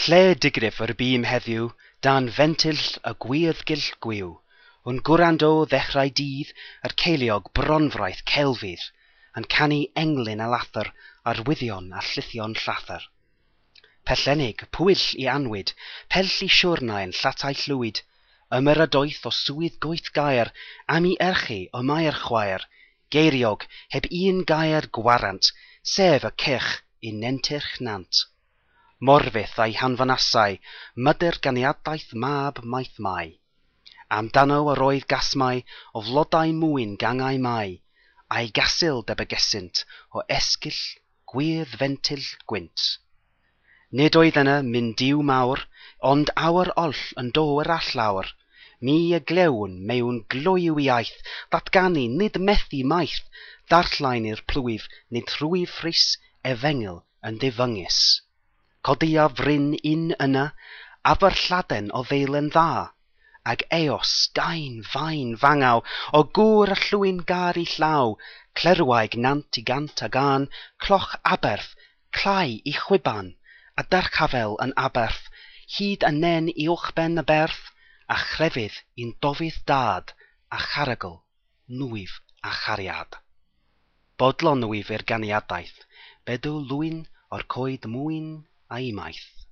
Lle digrif yr bûm heddiw dan fentyll y gwyrddgyll gwiw, yn gwrando ddechrau dydd yr ceiliog bronfraith celfydd, yn canu englyn a lathr, arwyddion a llithion llathr. Pellennig, pwyll i anwyd, pell i siwrnai yn llatai llwyd, ymyradoeth o swydd goeth gaer, am i erchi y mae'r chwaer, geiriog, heb un gair gwarant, sef y cyrch i nentyrch nant. Morfydd a'i hanfonasai, mydr ganiadaeth mab maith mai. Amdano yr oedd gasmau o flodau mwyn gangau mai, a'i gasil debygesynt o esgyll gwyrdd fentyll gwynt. Nid oedd yna myn Duw mawr, ond awr oll yn do yr allawr. Mi y glywn mewn gloyw iaith, ddatganu nid methu maith, ddarllen i'r plwyf nid rhwyf frys efengyl yn ddifyngus. Codia fryn un yna, aberlladen o ddeilen dda, ag eos, gain, fain, fangaw, o gŵr y llwyn gar i llaw, clerwaig nant i gant a gân, cloch aberth, clai i chwiban, a dyrchafel yn aberth, hyd y nen uwchben y berth, a chrefydd i'n dofydd dad, a charagl, nwyf a chariad. Bodlon wyf i'r ganiadaeth, bedw lwyn o'r coed mwyn a'i maith.